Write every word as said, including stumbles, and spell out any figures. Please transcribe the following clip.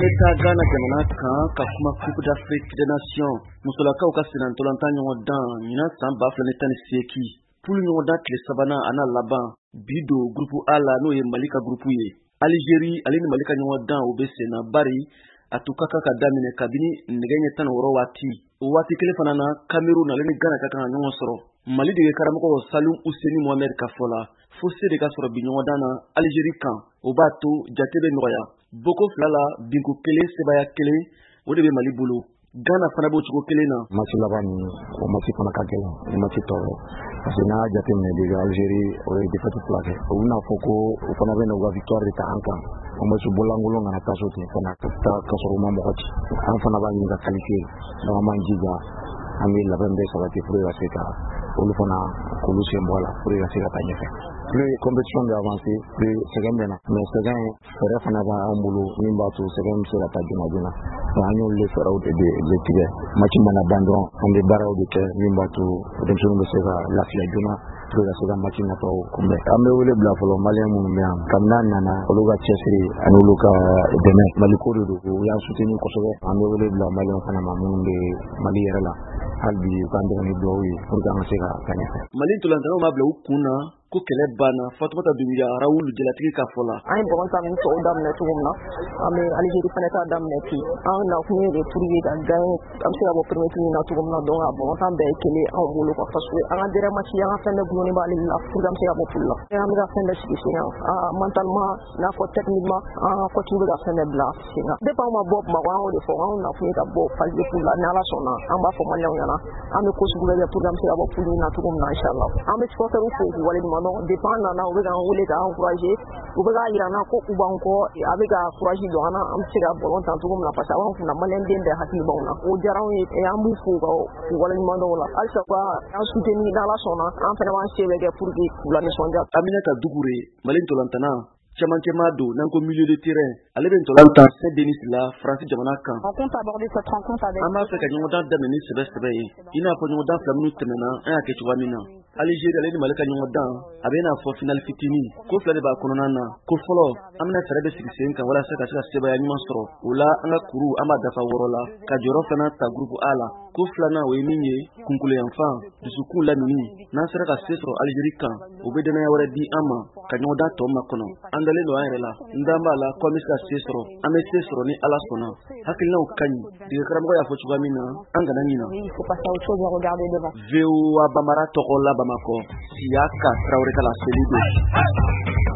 An bɛ taa Ghana jamana kan ka kuma Coupe d'Afrique des Nations musolakaw ka sennantolatan ɲɔgɔndan ɲinan san ba fila ni tan ni seegin poule ɲɔgɔndan tile sabanan a n'a laban bi don groupe A la, n'o ye Mali ka groupe ye. Algérie ale ni Mali ka ɲɔgɔndan, o bɛ sen na, bari a tun ka kan ka daminɛ kabini nɛgɛ ɲɛ tan ni wɔɔrɔ waati. O waati kelen fana na, Cameroun ale ni Ghana ka kan ka ɲɔgɔn sɔrɔ. Mali dege karamɔgɔ Salum Useni Mohamed ka fɔ la, fo se de ka sɔrɔ bi ɲɔgɔndan na Algérie kan, o b'a to jate bɛ nɔgɔya. Boko fila la, binko kelen, sebaya kelen, o de bɛ Mali bolo. Ghana fana b'o cogo kelen na. Match laban nin, o match fana ka gɛlɛn ni match tɔw ye, parce que n'a y'a jateminɛ déjà, Algérie o ye défaite fila kɛ. U bɛna fɔ ko u fana bɛ na u ka victoire de ta an kan. O match bɔlankolon kana taa so ten fana taa ka sɔrɔ u ma mɔgɔ ci. An fana b'a ɲini ka qualifier, donc an b'an jija, an bɛ labɛn bɛɛ sabati pour que ka se ka olu fana k'olu sen bɔ a la pour que ka se ka taa ɲɛfɛ. Plus compétition bɛ avancer, plus sɛgɛn bɛ na, mais sɛgɛn fɛɛrɛ fana b'an bolo min b'a to sɛgɛn bɛ se ka taa joona joona. Donc an y'olu de fɛɛrɛw de de tigɛ. Match mana ban dɔrɔn, an bɛ baaraw de kɛ min b'a to denmisɛnninw bɛ se ka lafiya joona pour que ka se ka match nataw kunbɛn. An bɛ wele bila fɔlɔ Malien minnu bɛ yan kabini an nana, olu ka cɛsiri ani olu ka dɛmɛ, Mali ko de don, u y'an soutenir kosɛbɛ. An bɛ wele bila Malien fana ma minnu bɛ Mali yɛrɛ la, hali bi u k'an dɛmɛ ni dugawu ye pour que an ka se ka taa ɲɛfɛ. Mali ntolantanaw m'a bila u kun na ko kɛlɛ banna. Fatumata Dunbiya Rawulu, jalatigi ka fɔ la. An ye balontan ni tɔw daminɛ cogo min na, an bɛ Algérie fana ta daminɛ ten. An nakun ye de pour que ka gagner, an bɛ se ka bɔ premier tour in na cogo min na. Donc a balontan bɛɛ ye kelen anw bolo quoi, parce que an ka dernier match, an ka fɛn bɛɛ gulonnen b'ale la pour que an bɛ se ka bɔ poule la. An bɛ ka fɛn bɛɛ sigi sen kan mentalement, n'a fɔ techniquement, an ka coach bɛ ka fɛn bɛɛ bila sen kan. Depuis an ma bɔ Bamakɔ, an y'o de fɔ, anw nakun ye ka bɔ phase de poule la. Ni Ala sɔnna, an b'a fɔ Maliyɛnw ɲɛna, an bɛ ko sugu bɛɛ kɛ pour que an bɛ se ka bɔ poule in na cogo min na, inchallah. An bɛ supporters fo k'u waleɲuman dɔn. Depuis an nana, u bɛ k'an wele k'an encourager, u bɛ k'a yira an na ko u b'an kɔ, a bɛ ka courage don an na, an bɛ se ka ballon tan cogo min na, parce que a b'an kunna, Maliyɛn den bɛɛ hakili b'anw na. O diyara anw ye, an b'u fo k'u waleɲuman dɔn o la. Halisa u ka an soutenir, n'Ala sɔnna, an fana b'an se bɛɛ kɛ pour que k'u lanisɔndiya. Aminata Dugure, Mali ntolantana camancɛma don, n'an ko milieu de terrain, ale bɛ ntolan tan Saint Denis la, Faransi jamana kan. On compte aborder cette rencontre avec An b'a fɛ ka ɲɔgɔndan daminɛ ni sɛbɛ sɛbɛ ye, i n'a fɔ ɲɔgɔndan fila minnu tɛmɛna, an y'a kɛ cogoya min na. Algérie ale ni Mali ka ɲɔgɔndan, a bɛ n'a fɔ finale fitinin ko fila de b'a kɔnɔna na. Ko fɔlɔ, an bɛna fɛɛrɛ bɛ sigi sen kan walasa ka se ka sebaya ɲuman sɔrɔ o la, an ka kuru an b'a dafa wɔɔrɔ la, ka jɔyɔrɔ fana ta groupe A la. Ko filanan, o ye min ye, kunkoloyanfan dusukun lamini, n'an sera ka se sɔrɔ Algérie kan, o bɛ dɛnɛnya wɛrɛ di an ma ka ɲɔgɔndan tɔ makɔnɔ. An dalen don an yɛrɛ la, n dan b'a la ko an bɛ se ka se sɔrɔ, an bɛ se sɔrɔ ni Ala sɔnna. Hakilinaw ka ɲi, dege karamɔgɔ y'a fɔ cogoya min na, an kana ɲina. Oui, il faut passer à autre chose et regarder devant. V O A Bambara tɔgɔ la Bamakɔ, Siyaka Tarawele ka laseli don.